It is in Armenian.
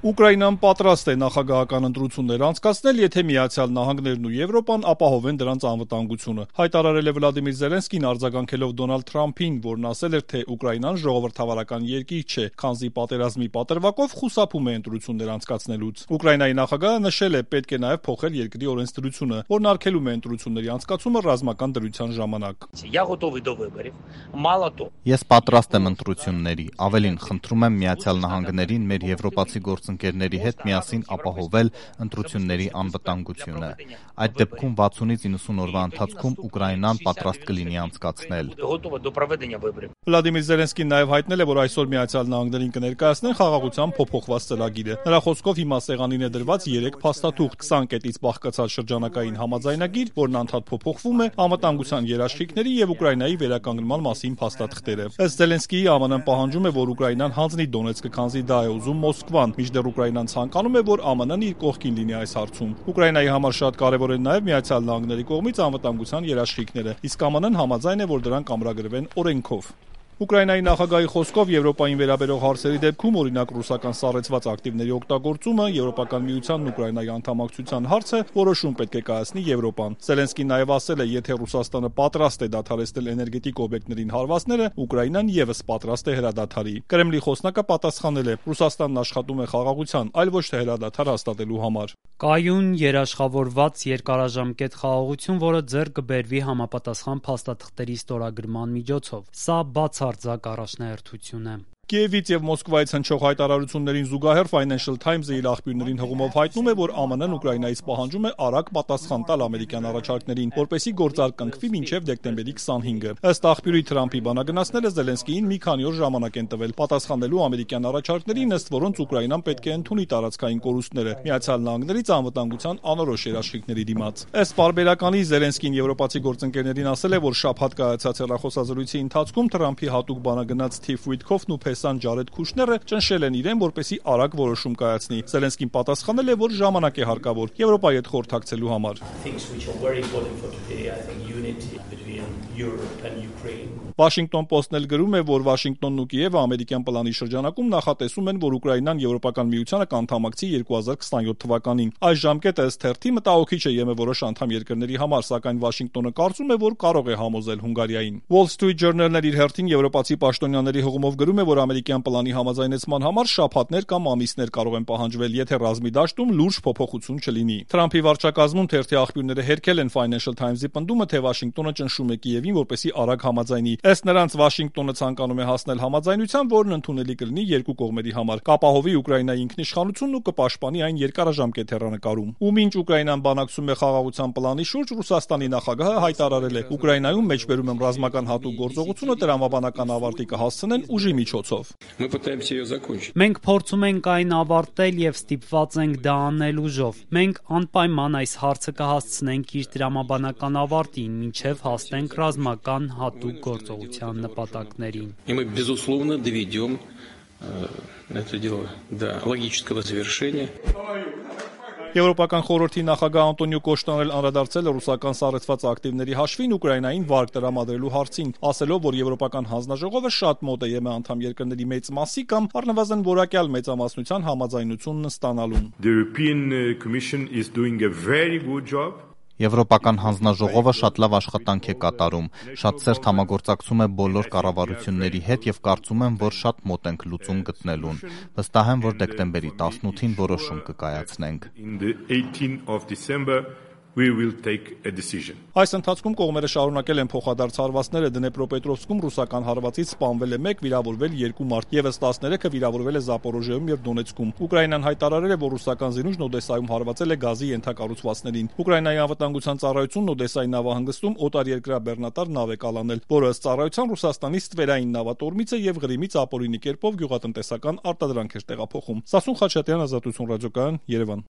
Ուկրաինան պատրաստ է նախագահական ընտրություններ անցկացնել, եթե Միացյալ Նահանգներն ու Եվրոպան ապահովեն դրանց անվտանգությունը, հայտարարել է Վլադիմիր Զելենսկին արձագանքելով Դոնալդ Թրամփին, որն ասել էր, թե Ուկրաինան ժողովրդավարական երկիր չէ, քանզի պատերազմի պատրվակով խուսափում է ընտրություններ անցկացնելուց։ Ուկրաինայի նախագահը նշել է, պետք է նաև փոխել երկրի օրենսդրությունը, որն արգելում է ընտրությունների անցկացումը ռազմական դրության ժամանակ։ Ես պատրաստ եմ ընտրությունների, ավելին, խնդրում եմ Միացյալ Նահանգներին մեր եվրոպացի գործընկերների հետ միասին ապահովել ընտրությունների անվտանգությունը։ Այդ դեպքում 60-ից 90 օրվա ընթացքում Ուկրաինան պատրաստ կլինի անցկացնել։ Վլադիմիր Զելենսկին նաև հայտնել է, որ այսօր Միացյալ Նահանգներին կներկայացնեն խաղաղության փոփոխված ծրագիրը։ Նրա խոսքով հիմա սեղանին է դրված 3 փաստաթուղթ, 20 կետից բաղկացած շրջանակային համաձայնագիր, որն անդադ փոփոխվում է, անվտանգության երաշխիքների եւ Ուկրաինայի վերականգնման մասին փաստաթղթերը։ Ըստ Զելենսկիի, ԱՄՆ-ն պահանջում է, որ Ուկրաինան հանձնի Դոնեցկը, քանզի դա է ուզում Մոսկվան, մինչդեռ Ուկրաինան ցանկանում է, որ ԱՄՆ-ն իր կողքին լինի այս հարցում։ Ուկրաինայի համար շատ կարևոր են նաև Միացյալ Նահանգների կողմից անվտանգության երաշխիքները, իսկ ԱՄՆ-ն համաձայն է, որ դրանք ամրագրվեն օրենքով։ Ուկրաինայի նախագահի խոսքով Եվրոպային վերաբերող հարցերի դեպքում, օրինակ ռուսական սառեցված ակտիվների օգտագործումը, Եվրոպական միությանն Ուկրաինայի անդամակցության հարցը որոշում պետք է կայացնի Եվրոպան։ Զելենսկին նաև ասել է, եթե Ռուսաստանը պատրաստ է դադարեցնել էներգետիկ օբյեկտներին հարվածները, Ուկրաինան եւս պատրաստ է հրադադարի։ Կրեմլի խոսնակը պատասխանել է. Ռուսաստանն աշխատում է խաղաղության, այլ ոչ թե հրադադար հաստատելու համար։ Կայուն երաշխավորված երկարաժամկետ խաղաղություն, որը ձեռք կբերվի համապատասխան փաստաթղթերի ստորագրման միջոցով։ Սա բացարձակ առաջնահերթություն է։ Կիևից եւ Մոսկվայից հնչող հայտարարություններին զուգահեռ Financial Times-ը իր աղբյուրներին հղումով հայտնում է, որ ԱՄՆ-ն Ուկրաինայից պահանջում է արագ պատասխան տալ ամերիկյան առաջարկներին, որպեսզի գործարկնքվի մինչև դեկտեմբերի 25-ը։ Ըստ աղբյուրի Թրամփի բանագնացները Զելենսկիին մի քանի օր ժամանակ են տվել պատասխանելու ամերիկյան առաջարկներին, ըստ որոնց Ուկրաինան պետք է ընդունի տարածքային կորուստները Միացյալ Նահանգներից անվտանգության անորոշ երաշխիքների դիմաց։ Ըստ պարբերականի Զելենսկին եվրոպացի գործընկերներին ասել է, որ շաբաթ կայացած հեռախոսազրույցի ընթացքում Թրամփի հատուկ բանագնաց Սթիվ Ուիթքոֆն ու Ջարեդ Քուշները ճնշել են իրեն, որպեսզի արագ որոշում կայացնի։ Զելենսկին պատասխանել է, որ ժամանակ է հարկավոր Եվրոպայի հետ խորհրդակցելու համար։ Washington Post-ն էլ գրում է, որ Վաշինգտոնն ու Կիևը ամերիկյան պլանի շրջանակում նախատեսում են, որ Ուկրաինան Եվրոպական միությանը կանդամակցի 2027 թվականին։ Այս ժամկետը ըստ թերթի մտահոգիչ է ԵՄ որոշ անդամ երկրների համար, սակայն Վաշինգտոնը կարծում է, որ կարող է համոզել Հունգարիային։ Wall Street Journal-ն իր հերթին եվրոպացի պաշտոնյաների հղումով գրում է, որ ամերիկյան պլանի համաձայնեցման համար շաբաթներ կամ ամիսներ կարող են պահանջվել, եթե ռազմի դաշտում լուրջ փոփոխություն չլինի։ Թրամփի վարչակազմում թերթի աղբյուրները հերքել են Financial Times-ի պնդումը, թե Վաշինգտոնը ճնշում է Կիևին, որպեսզի արագ համաձայնի։ Ըստ նրանց Վաշինգտոնը ցանկանում է հասնել համաձայնության, որն ընդունելի կլինի երկու կողմերի համար, կապահովի Ուկրաինայի ինքնիշխանությունն ու կպաշտպանի այն երկարաժամկետ հեռանկարում։ Ու մինչ Ուկրաինան բանակցում է խաղաղության պլանի շուրջ, Ռուսաստանի նախագահը հայտարարել է. Ուկրաինայում մեջբերում եմ ռազմական հատուկ գործողությունը տրամաբանական ավարտի կհասցնեն ուժի միջոցով։ Մենք փորձում ենք այն ավարտել եւ ստիպված ենք դա անել ուժով։ Մենք անպայման այս հարցը կհասցնենք իր տրամաբանական ավարտին, մինչեւ հասնենք ռազմական հատուկ գործողության նպատակներին։ Եվրոպական խորհրդի նախագահ Անտոնիո Կոշտան էլ անդրադարձել է ռուսական սառեցված ակտիվների հաշվին Ուկրաինային վարկ տրամադրելու հարցին, ասելով, որ Եվրոպական հանձնաժողովը շատ մոտ է ԵՄ անդամ երկրների մեծ մասի կամ առնվազն որակյալ մեծամասնության համաձայնությունն ստանալուն։ Եվրոպական հանձնաժողովը շատ լավ աշխատանք է կատարում, շատ սերտ համագործակցում է բոլոր կառավարությունների հետ եւ կարծում եմ, որ շատ մոտ ենք լուծում գտնելուն։ Վստահ եմ, որ դեկտեմբերի 18-ին որոշում կկայացնենք։ Այս ընթացքում կողմերը շարունակել են փոխադարձ հարվածները Դնեպրոպետրովսկում ռուսական հարվածից սպանվել է 1, վիրավորվել 2 մարդ, եւս 13-ը վիրավորվել է Զապորոժիայում եւ Դոնեցկում։ Ուկրաինան հայտարարել է, որ ռուսական զինուժն Օդեսայում հարվածել է գազի ենթակառուցվածքներին։ Ուկրաինայի անվտանգության ծառայությունն Օդեսայի նավահանգստում օտարերկրյա բեռնատար նավ է կալանել, որը ըստ ծառայության Ռուսաստանի ստվերային նավատորմից է եւ Ղրիմից ապօրինի կերպով գյուղատնտեսական արտադրանք էր տեղափոխում։ Սասուն Խաչատյան, Ազատություն ռադիոկայան, Երևան։